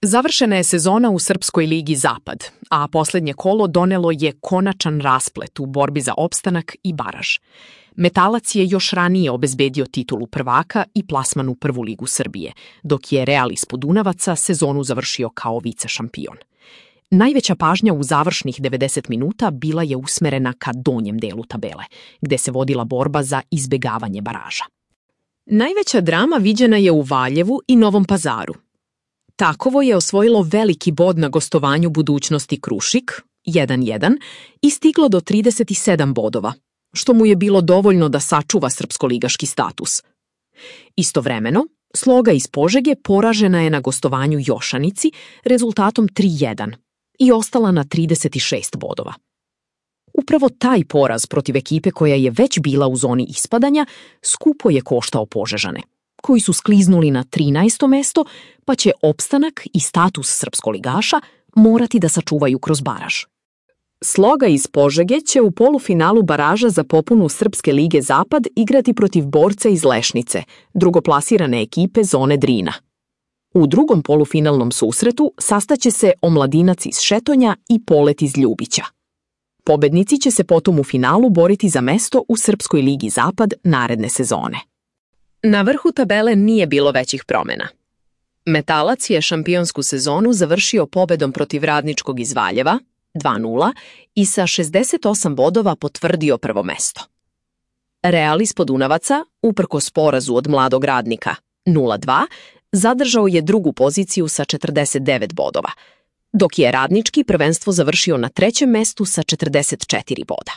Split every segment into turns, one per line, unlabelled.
Završena je sezona u Srpskoj ligi Zapad, a posljednje kolo donelo je konačan rasplet u borbi za opstanak i baraž. Metalac je još ranije obezbedio titulu prvaka i plasman u Prvu ligu Srbije, dok je Real iz Podunavaca sezonu završio kao vice-šampion. Najveća pažnja u završnih 90 minuta bila je usmerena ka donjem delu tabele, gde se vodila borba za izbegavanje baraža. Najveća drama viđena je u Valjevu i Novom Pazaru. Takovo je osvojilo veliki bod na gostovanju Budućnosti Krušik, 1:1, i stiglo do 37 bodova, što mu je bilo dovoljno da sačuva srpskoligaški status. Istovremeno, Sloga iz Požege poražena je na gostovanju Jošanici rezultatom 3:1 i ostala na 36 bodova. Upravo taj poraz protiv ekipe koja je već bila u zoni ispadanja skupo je koštao Požežane, koji su skliznuli na 13. mesto, pa će opstanak i status srpskoligaša morati da sačuvaju kroz baraž. Sloga iz Požege će u polufinalu baraža za popunu Srpske lige Zapad igrati protiv Borca iz Lešnice, drugoplasirane ekipe zone Drina. U drugom polufinalnom susretu sastaće se Omladinac iz Šetonja i Polet iz Ljubića. Pobednici će se potom u finalu boriti za mesto u Srpskoj ligi Zapad naredne sezone. Na vrhu tabele nije bilo većih promjena. Metalac je šampionsku sezonu završio pobedom protiv Radničkog iz Valjeva, 2:0, i sa 68 bodova potvrdio prvo mesto. Real iz Podunavaca, uprkos porazu od Mladog Radnika, 0:2, zadržao je drugu poziciju sa 49 bodova, dok je Radnički prvenstvo završio na trećem mestu sa 44 boda.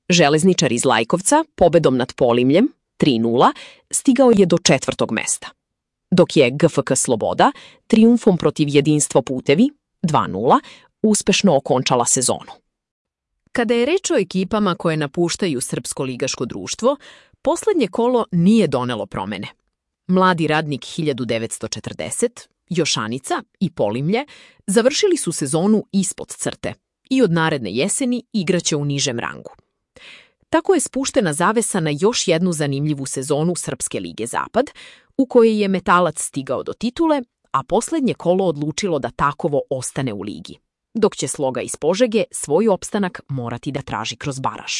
Železničar iz Lajkovca, pobedom nad Polimljem, 3:0, stigao je do četvrtog mesta, dok je GFK Sloboda trijumfom protiv Jedinstvo Putevi, 2:0, uspešno okončala sezonu. Kada je reč o ekipama koje napuštaju Srpsko ligaško društvo, posljednje kolo nije donelo promene. Mladi Radnik 1940, Jošanica i Polimlje završili su sezonu ispod crte i od naredne jeseni igraće u nižem rangu. Tako je spuštena zavesa na još jednu zanimljivu sezonu Srpske lige Zapad, u kojoj je Metalac stigao do titule, a posljednje kolo odlučilo da Takovo ostane u ligi, dok će Sloga iz Požege svoj opstanak morati da traži kroz baraž.